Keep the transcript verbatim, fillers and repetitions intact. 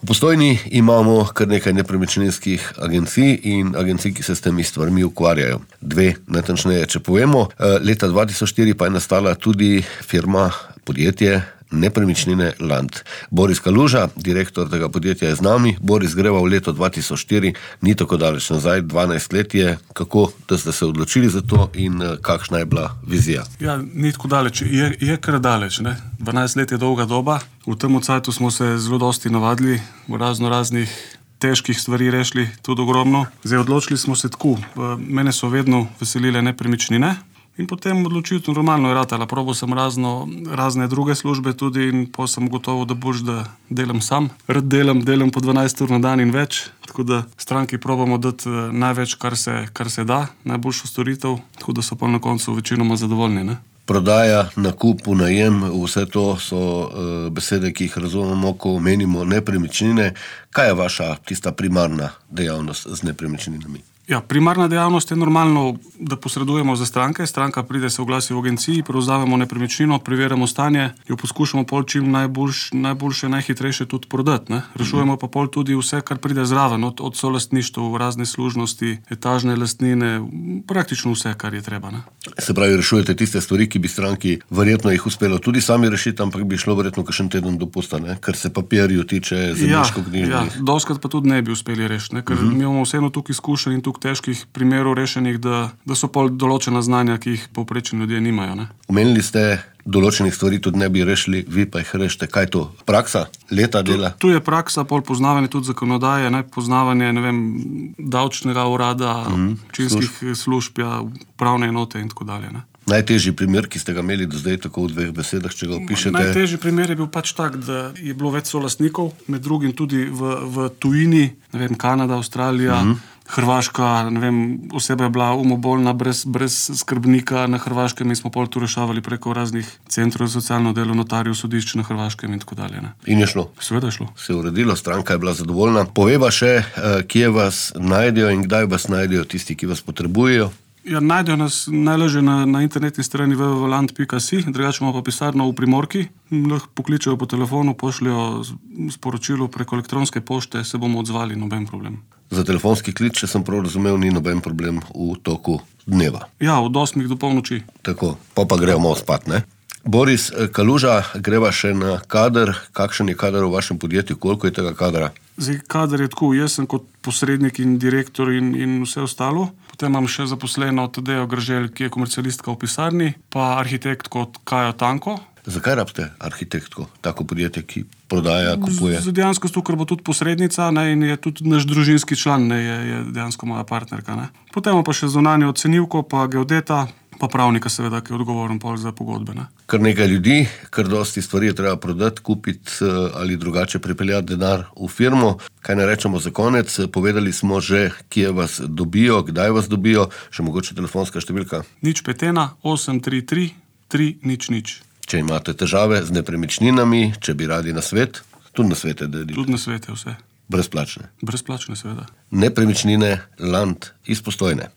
V Postojni imamo kar nekaj nepremičninskih agencij in agencij, ki se s temi stvarmi ukvarjajo. Dve, natančneje, če povemo. Leta dva tisoč štiri pa je nastala tudi firma, podjetje Nepremičnine Land. Boris Kaluža, direktor tega podjetja, je z nami. Boris, greva v leto dva tisoč štiri, ni tako daleč nazaj, dvanajst let je. Kako da ste se odločili za to in kakšna je bila vizija? Ja, ni tako daleč, je, je kar daleč, ne. dvanajst let je dolga doba. V tem cajtu smo se zelo dosti navadili, v razno raznih težkih stvari rešili, tudi ogromno. Zdaj, odločili smo se tako. Mene so vedno veselile nepremičnine. In potem odločitev normalno je ratala. Probal sem razno, razne druge službe tudi in po sem gotovo, da boš, da delam sam. Rad delam, delam po dvanajst ur na dan in več, tako da stranki probamo dati največ, kar se, kar se da, najboljšo storitev, tako da so pa na koncu večinoma zadovoljni, ne. Prodaja, nakup, najem, vse to so uh, besede, ki jih razumemo, ko omenimo nepremičnine. Kaj je vaša tista primarna dejavnost z nepremičninami? Ja, primarna dejavnost je normalno, da posredujemo za stranke. Stranka pride, se oglasi v agenciji, prevzamemo nepremičnino, preverjamo stanje, jo poskušamo pol čim najboljš, najboljše, najhitrejše tudi prodati, ne. Rešujemo pa pol tudi vse, kar pride zraven, od, od solastništva, razne služnosti, etažne lastnine, praktično vse, kar je treba, ne. Se pravi, rešujete tiste stvari, ki bi stranki verjetno jih uspelo tudi sami rešiti, ampak bi šlo verjetno kakšen teden dopusta, ne, kar se papirju tiče, zemljiškoknjižnih. Ja, ja, doskrat pa tudi ne bi uspeli rešiti, ne, ker uh-huh. mi imamo vseeno tukaj izkušenj in tukaj težkih primerov rešenih, da, da so pol določena znanja, ki jih povprečni ljudje nimajo, ne. Omenili ste, določenih stvari tudi ne bi rešili, vi pa jih rešite. Kaj to? Praksa? Leta dela? Tu, tu je praksa, pol poznavanje tudi zakonodaje, ne, poznavanje, ne vem, davčnega urada, mm, občinskih služb, služb, ja, pravne enote in tako dalje, ne. Najtežji primer, ki ste ga imeli do zdaj, tako v dveh besedah, če ga opišete? Najtežji primer je bil pač tak, da je bilo več solastnikov, med drugim tudi v, v tujini, ne vem, Kanada, Avstralija, mm-hmm. Hrvaška, ne vem, oseba je bila umobolna brez, brez skrbnika na Hrvaškem in smo pol tu rešavali preko raznih centrov za socialno delo, notarjev, sodišč na Hrvaškem in tako dalje, ne. In je šlo? Seveda je šlo. Se je uredilo, stranka je bila zadovoljna. Poveva še, kje vas najdejo in kdaj vas najdejo tisti, ki vas potrebujejo? Ja, najdejo nas najlažje na, na internetni strani w w w pika land pika si, drugače imamo pa pisarno v Primorki, lahko pokličejo po telefonu, pošljajo sporočilo preko elektronske pošte, se bomo odzvali, noben problem. Za telefonski klic, če sem prav razumel, ni noben problem v toku dneva. Ja, od osmih do polnoči. Tako, pa pa gremo spat, ne? Boris Kaluža, greva še na kader. Kakšen je kader v vašem podjetju? Koliko je tega kadra? Zdaj, kader je tako, jaz sem kot posrednik in direktor in, in vse ostalo. Potem imam še zaposleno Tadejo Grželj, ki je komercialistka v pisarni, pa arhitekt kot Kajo Tanko. Zakaj rabite arhitektko, tako podjetje, ki prodaja, kupuje? Z, dejansko sto, ker bo tudi posrednica, ne, in je tudi naš družinski član, ne, je, je dejansko moja partnerka, ne. Potem pa še zunanjo ocenivko, pa geodeta, pa pravnika seveda, ki je odgovoren pol za pogodbe, ne. Kar nekaj ljudi, kar dosti stvari je treba prodati, kupiti ali drugače pripeljati denar v firmo. Kaj ne rečemo za konec? Povedali smo že, kje vas dobijo, kdaj vas dobijo, še mogoče telefonska številka. nič pet ena osem tri tri tri nič nič. Če imate težave z nepremičninami, če bi radi na svet, tudi na svete delite. Tudi na svete vse. Brezplačne. Brezplačne seveda. Nepremičnine Land iz Postojne.